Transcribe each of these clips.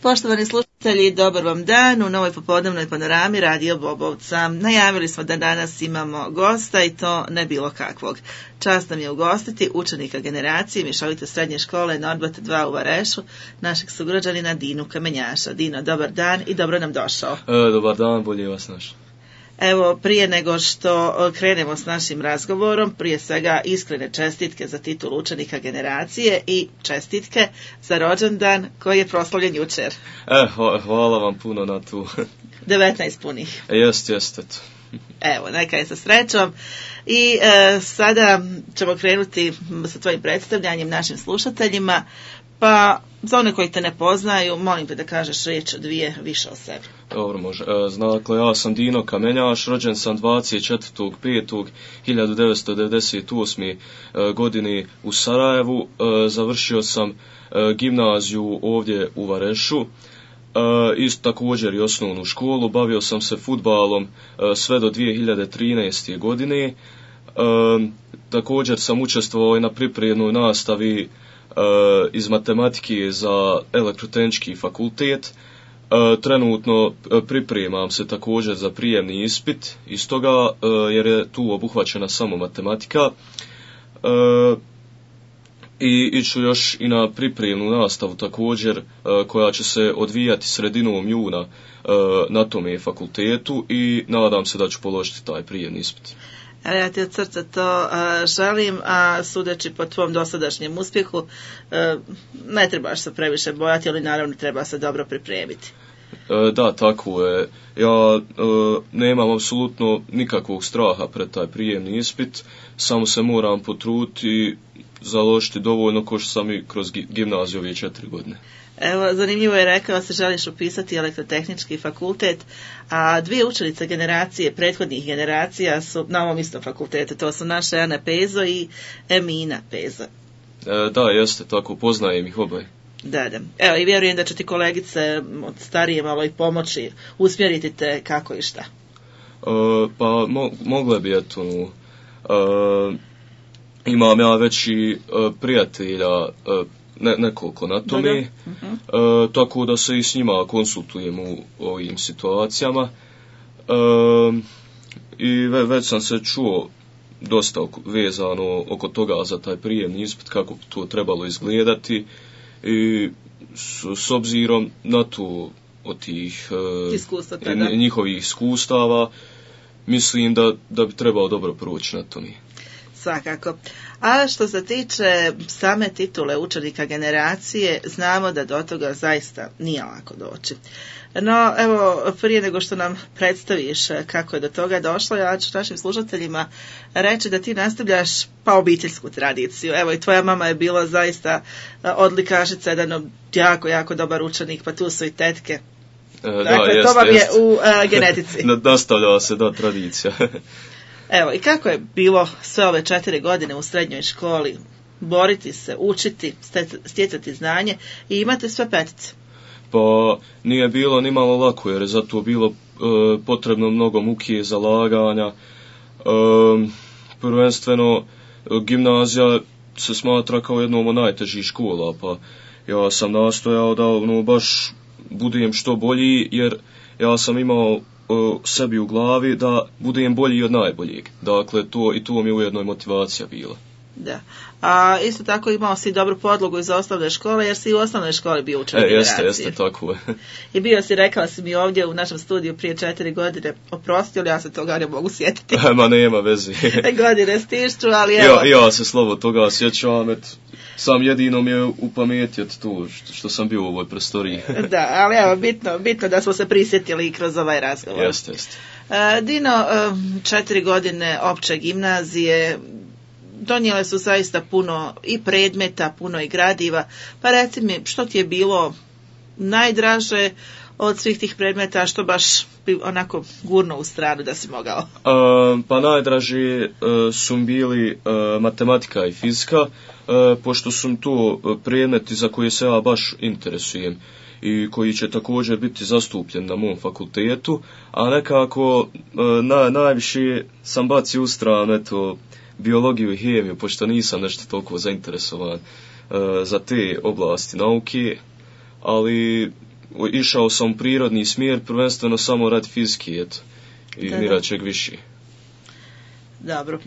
Poštovani slušatelji, dobar vam dan u novoj popodnevnoj panorami Radio Bobovca. Najavili smo da danas imamo gosta i to ne bilo kakvog. Čast nam je ugostiti učenika generacije mješovite srednje škole Norbert 2 u Varešu, našeg sugrađanina Dinu Kamenjaša. Dino, dobar dan i dobro nam došao. Dobar dan, bolje vas našao. Evo, prije nego što krenemo s našim razgovorom, prije svega iskrene čestitke za titul učenika generacije i čestitke za rođendan koji je proslavljen jučer. Hvala vam puno na tu. 19 punih. Jest. Evo, neka je sa srećom. I sada ćemo krenuti sa tvojim predstavljanjem našim slušateljima. Pa, za one koji te ne poznaju, molim te da kažeš riječ dvije više o sebi. Dobro, može. Dakle, ja sam Dino Kamenjaš, rođen sam 24.5.1998. godine u Sarajevu. Završio sam gimnaziju ovdje u Varešu. Isto također i osnovnu školu. Bavio sam se fudbalom sve do 2013. godine. Također sam učestvovao i na pripremnoj nastavi iz matematike za elektrotehnički fakultet. Trenutno pripremam se također za prijemni ispit iz toga jer je tu obuhvaćena samo matematika. I iću još i na pripremnu nastavu također koja će se odvijati sredinom juna na tome fakultetu i nadam se da ću položiti taj prijemni ispit. Ja ti od srca to želim, a sudeći po tvom dosadašnjem uspjehu ne trebaš se previše bojati, ali naravno treba se dobro pripremiti. Da, tako je. Ja nemam apsolutno nikakvog straha pred taj prijemni ispit, samo se moram potruditi i založiti dovoljno ko što sam i kroz gimnaziju ove 4 godine. Evo, zanimljivo je rekao se želiš upisati elektrotehnički fakultet, a dvije učenice generacije, prethodnih generacija su na ovom istom fakultetu, to su naša Ana Pezo i Emina Pezo. Da, jeste, tako, poznajem ih oboje. Da. Evo, i vjerujem da će ti kolegice od starije malo i pomoći, usmjeriti te kako i šta. Pa, mogle bi, eto, imam ja već i prijatelja, nekoliko na tome, tako da se i s njima konsultujem u ovim situacijama. I već sam se čuo dosta vezano oko toga za taj prijemni ispit, kako bi to trebalo izgledati i s obzirom na to od tih njihovih iskustava mislim da bi trebalo dobro proći na tome. Svakako. A što se tiče same titule učenika generacije, znamo da do toga zaista nije lako doći. No, evo, prije nego što nam predstaviš kako je do toga došlo, ja ću našim slušateljima reći da ti nastavljaš pa obiteljsku tradiciju. Evo, i tvoja mama je bila zaista odlikašica, jedan jako dobar učenik, pa tu su i tetke. Dakle, to vam je u genetici. Nastavljava se, da, tradicija. Evo, i kako je bilo sve ove 4 godine u srednjoj školi, boriti se, učiti, stjecati znanje i imati sve petice? Pa nije bilo ni malo lako, jer je zato bilo potrebno mnogo muke, zalaganja. Prvenstveno, gimnazija se smatra kao jednom od najtežih škola, pa ja sam nastojao da baš budem što bolji, jer ja sam imao sebi u glavi da budem bolji od najboljeg. Dakle, to mi je ujedno i motivacija bila. Da. A isto tako imao si dobru podlogu iz osnovne škole, jer si u osnovnoj školi bio učenik generacije. Jeste, tako je. I bio si, rekao si mi ovdje u našem studiju prije 4 godine, oprosti, ali ja se toga ne mogu sjetiti. Ma nema veze. Godine stišću, ali evo. Ja se slovo toga sjećam, sam jedino mi je u pameti od to što sam bio u ovoj prostoriji. Da, ali evo, bitno da smo se prisjetili kroz ovaj razgovor. Jeste. Dino, 4 godine opće gimnazije, donijele su zaista puno i predmeta, puno i gradiva, pa reci mi što ti je bilo najdraže od svih tih predmeta, što baš onako gurno u stranu da si mogao? Pa najdraži su bili matematika i fizika, pošto su to predmeti za koje se ja baš interesujem i koji će također biti zastupljen na mom fakultetu, a nekako najviše sam bacio u stranu biologiju i hemiju, pošto nisam nešto toliko zainteresovan za te oblasti nauke, ali išao sam u prirodni smjer, prvenstveno samo radi fizike, eto, i niračeg više. Dobro.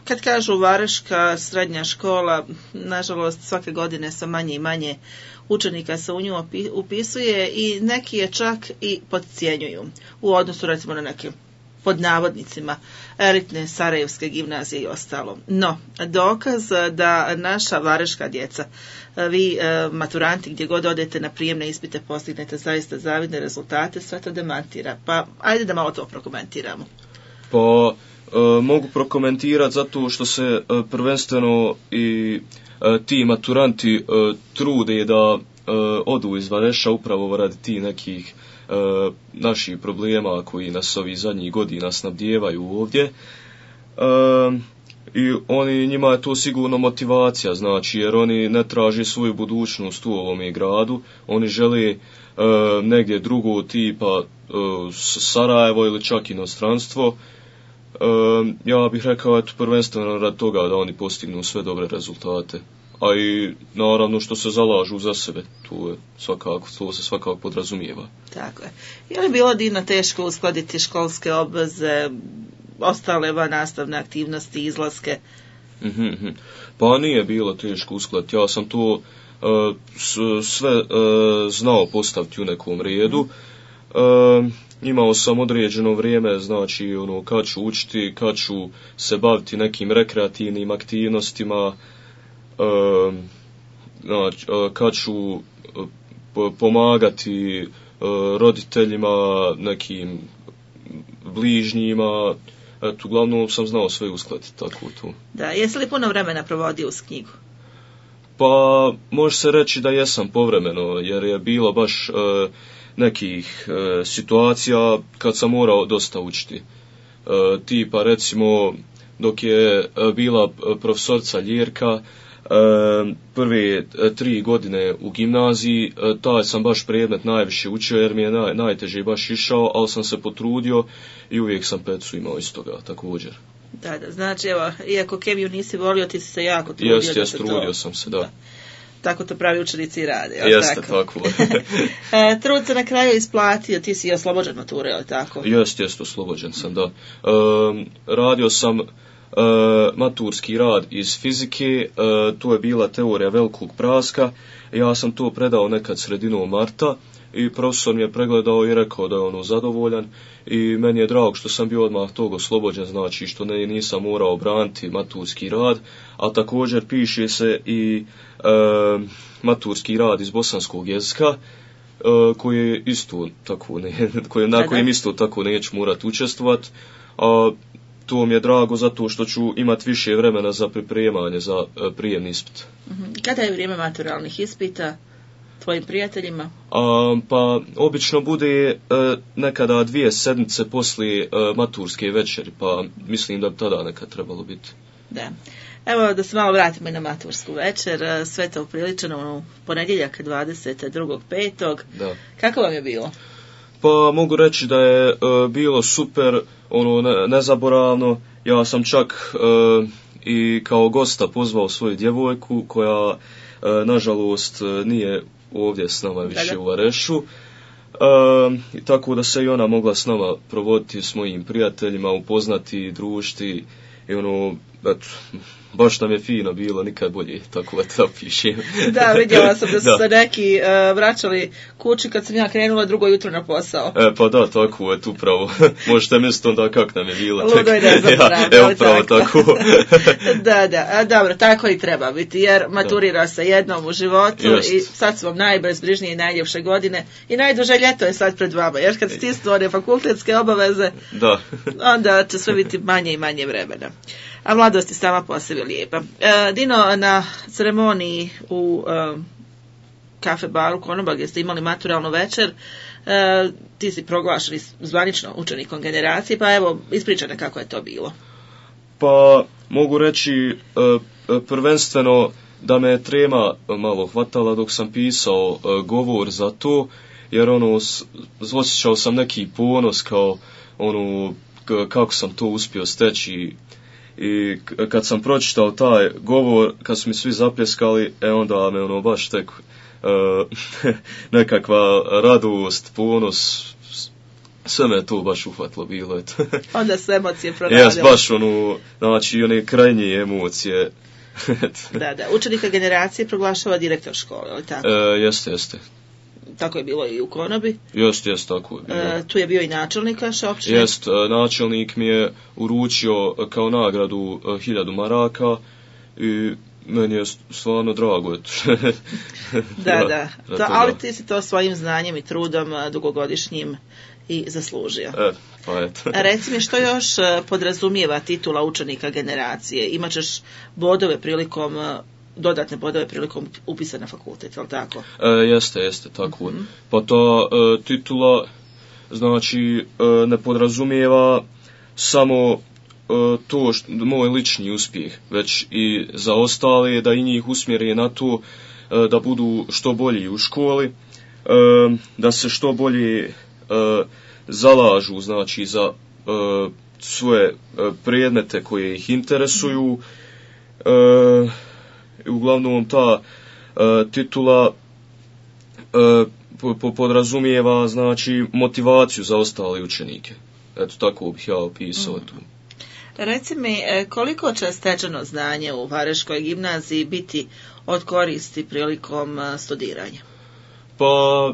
Kad kažu Vareška srednja škola, nažalost svake godine sa manje i manje učenika se u nju upisuje i neki je čak i podcjenjuju u odnosu recimo na neke pod navodnicima elitne sarajevske gimnazije i ostalo. No, dokaz da naša vareška djeca, vi maturanti gdje god odete na prijemne ispite postignete zaista zavidne rezultate, sve to demantira. Pa ajde da malo to prokomentiramo. Pa mogu prokomentirati zato što se prvenstveno i ti maturanti trude da odu iz Vareša upravo radi ti nekih naših problema koji nas ovih zadnjih godina snabdijevaju ovdje. I njima je to sigurno motivacija, znači, jer oni ne traže svoju budućnost u ovome gradu, oni žele negdje drugo tipa Sarajevo ili čak inostranstvo. Ja bih rekao eto prvenstveno radi toga da oni postignu sve dobre rezultate, a i naravno što se zalažu za sebe, to se svakako podrazumijeva. Tako je. Je li bilo divno teško uskladiti školske obveze, ostale nastavne aktivnosti, izlaske? Pa nije bilo teško uskladiti, ja sam to sve znao postaviti u nekom redu. Imao sam određeno vrijeme, znači kad ću učiti, kad ću se baviti nekim rekreativnim aktivnostima, kad ću pomagati roditeljima, nekim bližnjima, eto, uglavnom sam znao sve uskladiti tako tu. Da, jesi li puno vremena provodio uz knjigu? Pa, može se reći da jesam povremeno, jer je bilo baš nekih situacija kad sam morao dosta učiti. Tipa recimo dok je bila profesorica Ljerka, prve 3 godine u gimnaziji, taj sam baš predmet najviše učio jer mi je najteže baš išao, ali sam se potrudio i uvijek sam pecu imao iz toga također. Da, znači evo, iako kemiju nisi volio, ti si se jako trudio. Jeste, trudio sam se, da. Tako to pravi učenici rade. Jeste, tako. Trud se na kraju isplatio, ti si oslobođen mature, je li tako? Jeste, oslobođen sam, da. Radio sam maturski rad iz fizike, to je bila teorija velikog praska, ja sam to predao nekad sredinom marta i profesor mi je pregledao i rekao da je zadovoljan i meni je drago što sam bio odmah tog oslobođen, znači što nisam morao braniti maturski rad, a također piše se i maturski rad iz bosanskog jezika, koji je isto tako na kojem isto tako neću morati učestvovati, a to mi je drago zato što ću imati više vremena za pripremanje za prijemni ispit. Kada je vrijeme maturalnih ispita tvojim prijateljima? Pa obično bude nekada 2 sedmice poslije maturske večeri, pa mislim da bi tada nekad trebalo biti. Da. Evo da se malo vratimo i na matursku večer, sve to upriličeno u ponedjeljak 22.5. Da. Kako vam je bilo? Pa mogu reći da je bilo super, nezaboravno. Ja sam čak i kao gosta pozvao svoju djevojku koja nažalost nije ovdje s nama više u Varešu. Tako da se i ona mogla s nama provoditi s mojim prijateljima, upoznati, družiti i eto, baš nam je fino bilo, nikad bolje, tako da pišem. Da, vidjela sam da su se neki vraćali kući kad sam ja krenula drugo jutro na posao. Pa da, tako je, upravo. Možete misliti onda kak nam je bilo. Ludo je nezaboravno. Evo pravo tako. Da, dobro, tako i treba biti, jer maturira se jednom u životu. Just. I sad su vam najbezbrižnije i najljepše godine i najduže ljeto je sad pred vama, jer kad stisnu one fakultetske obaveze, da. Onda će sve biti manje i manje vremena. A mladost je sama po sebi lijepa. Dino, na ceremoniji u kafe baru Konoba gdje ste imali maturalnu večer, ti si proglašen zvanično učenikom generacije, pa evo, ispričaj kako je to bilo. Pa mogu reći prvenstveno da me trema malo hvatala dok sam pisao govor za to, jer osjećao sam neki ponos kao kako sam to uspio steći. I kad sam pročitao taj govor, kad su mi svi zapljeskali, onda me baš tek nekakva radost, ponos, sve me to baš uhvatilo bilo. Onda su emocije proradile. Jes, baš znači one krajnje emocije. Da, učenika generacije proglašava direktor škole, ali tako? Jeste. Tako je bilo i u Konobi? Jeste, tako je bilo. Tu je bio i načelnik vaše općine? Jest, načelnik mi je uručio kao nagradu 1000 maraka i meni je stvarno drago. Da. Ali ti si to svojim znanjem i trudom dugogodišnjim i zaslužio. Pa eto. Reci mi, što još podrazumijeva titula učenika generacije? Imaćeš dodatne bodove prilikom upisa na fakultet, je li tako? Jeste, tako. Pa ta titula znači ne podrazumijeva samo to moj lični uspjeh, već i za ostale da i njih usmjeri na to da budu što bolji u školi, da se što bolje zalažu znači za svoje predmete koje ih interesuju. Uglavnom ta titula podrazumijeva znači motivaciju za ostale učenike. Eto, tako bih ja opisao tu. Reci mi, koliko će stečeno znanje u Vareškoj gimnaziji biti od koristi prilikom studiranja? Pa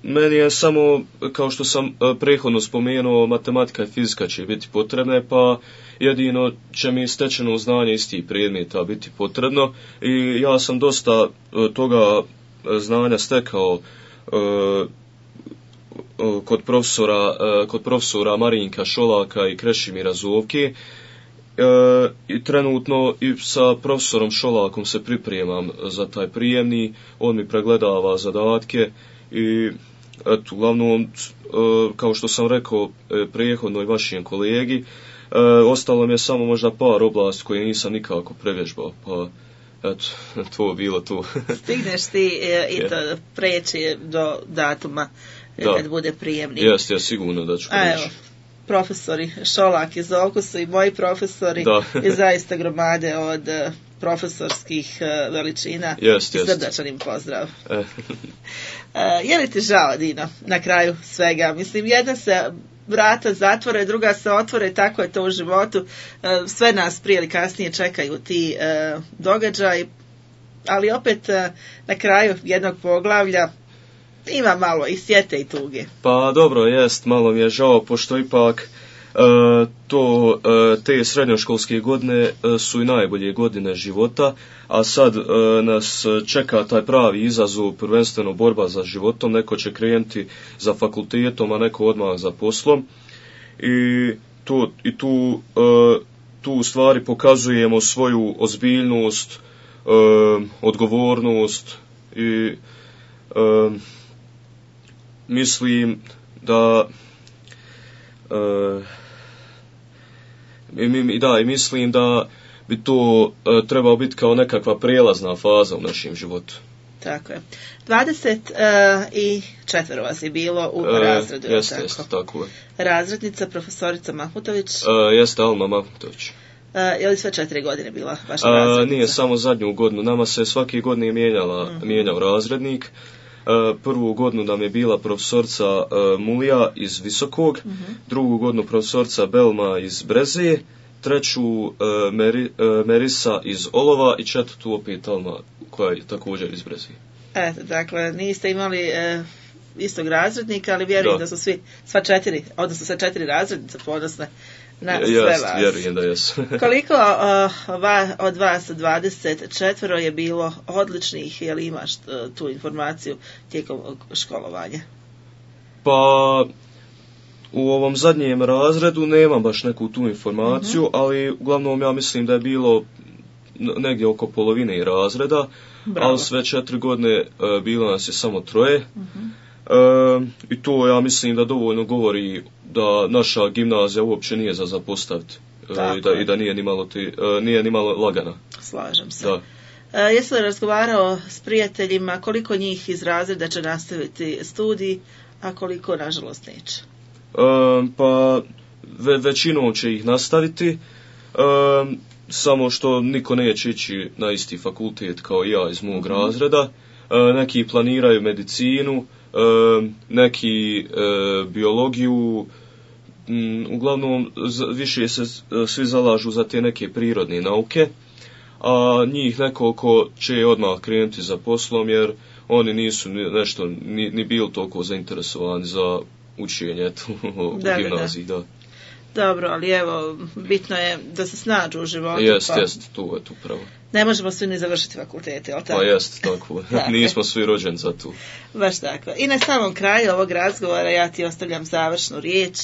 meni je samo, kao što sam prethodno spomenuo, matematika i fizika će biti potrebne, pa jedino će mi stečeno znanje istih predmeta biti potrebno i ja sam dosta toga znanja stekao kod profesora Marinka Šolaka i Krešimira Zovke. I trenutno i sa profesorom Šolakom se pripremam za taj prijemni, on mi pregledava zadatke i eto, uglavnom, kao što sam rekao prethodno i vašem kolegi, ostalo mi je samo možda par oblasti koje nisam nikako prevježbao, pa eto, to bilo tu. Stigneš ti i to preći do datuma kad bude prijemni. Jeste, sigurno da ću preći. Evo, profesori Šolak i Zovko su i moji profesori i zaista gromade od profesorskih veličina. Srdačan im pozdrav. Je li ti žao, Dino, na kraju svega? Mislim, jedna se vrata zatvore, druga se otvore, tako je to u životu. Sve nas prije ili kasnije čekaju ti događaji, ali opet na kraju jednog poglavlja ima malo i sjete i tuge. Pa dobro, jest, malo mi je žao, pošto ipak te srednjoškolske godine su i najbolje godine života, a sad nas čeka taj pravi izazov, prvenstveno borba za životom, neko će krenuti za fakultetom, a neko odmah za poslom i tu u stvari pokazujemo svoju ozbiljnost, odgovornost i mislim da mislim da bi to trebalo biti kao nekakva prijelazna faza u našem životu. Tako je. 24 vas je bilo u razredu. Jeste, tako je. Razrednica, profesorica Mahmutović. Jeste, Alma Mahmutović. Je li sve 4 godine bila vaša razrednica? Nije, samo zadnju godinu. Nama se svake godine mijenjao razrednik. Prvu godinu nam je bila profesorica Mulija iz Visokog, drugu godinu profesorica Belma iz Brezije, treću Merisa iz Olova i četvrtu opet Alma koja je također iz Brezije. Eto, dakle, niste imali istog razrednika, ali vjerujem da su sve 4 razrednice ponosne na sve vas. Vjerujem da jesu. Koliko od vas 24 je bilo odličnih, je li imaš tu informaciju tijekom školovanja? Pa u ovom zadnjem razredu nemam baš neku tu informaciju, ali uglavnom ja mislim da je bilo negdje oko polovine razreda. Bravo. Ali sve 4 godine bilo nas je samo 3. I to ja mislim da dovoljno govori da naša gimnazija uopće nije za zapostaviti i da nije ni malo lagana. Slažem se. Jesi li razgovarao s prijateljima koliko njih iz razreda će nastaviti studij, a koliko nažalost neće? Pa većinom će ih nastaviti, samo što niko neće ići na isti fakultet kao ja iz mog razreda. neki planiraju medicinu, neki biologiju, uglavnom više se svi zalažu za te neke prirodne nauke, a njih nekoliko će odmah krenuti za poslom jer oni nisu nešto ni bili toliko zainteresovani za učenje u gimnaziji. Da. Dobro, ali evo, bitno je da se snađu u životu. Jest, tu pravo. Ne možemo svi ni završiti fakultete, ali tako? Pa jest, tako. Nismo svi rođeni za tu. Baš tako. I na samom kraju ovog razgovora ja ti ostavljam završnu riječ.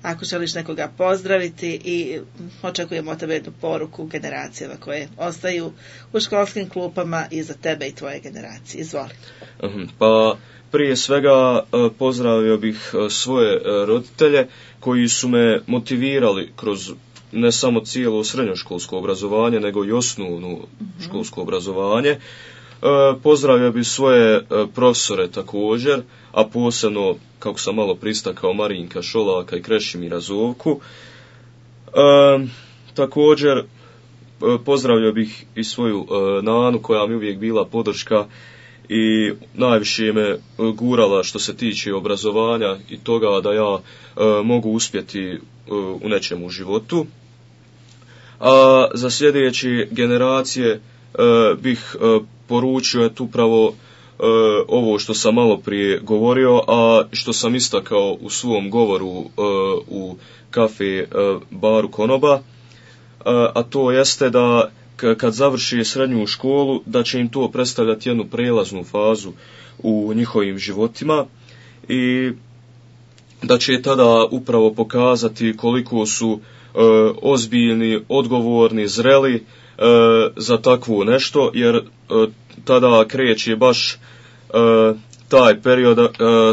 Ako želiš nekoga pozdraviti i očekujemo od tebe jednu poruku generacijama koje ostaju u školskim klupama i za tebe i tvoje generacije. Izvoli. Pa prije svega pozdravio bih svoje roditelje koji su me motivirali kroz ne samo cijelo srednjoškolsko obrazovanje, nego i osnovno školsko obrazovanje. Pozdravio bih svoje profesore također, a posebno, kako sam malo pristakao, Marinka Šolaka i Krešimira Zovku. Također pozdravio bih i svoju nanu koja mi uvijek bila podrška i najviše me gurala što se tiče obrazovanja i toga da ja mogu uspjeti u nečemu u životu. A za sljedeće generacije bih poručio upravo ovo što sam malo prije govorio, a što sam istakao u svom govoru u kafe baru Konoba, a to jeste da kad završi srednju školu, da će im to predstavljati jednu prelaznu fazu u njihovim životima i da će tada upravo pokazati koliko su ozbiljni, odgovorni, zreli za takvo nešto, jer tada kreće baš taj period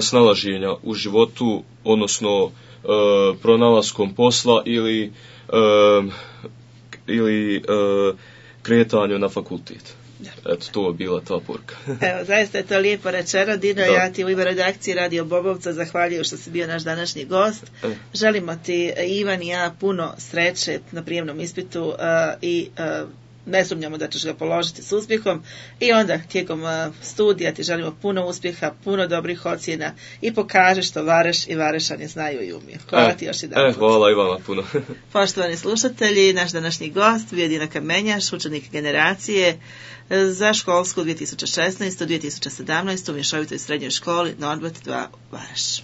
snalaženja u životu, odnosno pronalaskom posla ili kretanju na fakultet. Eto, to je bila ta poruka. Evo, zaista je to lijepo rečeno, Dino. Ja ti u ime redakcije Radio Bobovca zahvaljujem što si bio naš današnji gost. Želimo ti, Ivan i ja, puno sreće na prijemnom ispitu i ne sumnjamo da ćeš ga položiti s uspjehom i onda tijekom studija ti želimo puno uspjeha, puno dobrih ocjena i pokaži što Vareš i Varešani znaju i umiju. Hvala ti još jedan put. Hvala i vama puno. Poštovani slušatelji, naš današnji gost bio je Dino Kamenjaš, učenik generacije za školsku 2016-2017 u mješovitoj srednjoj školi Norbert 2 Vareš.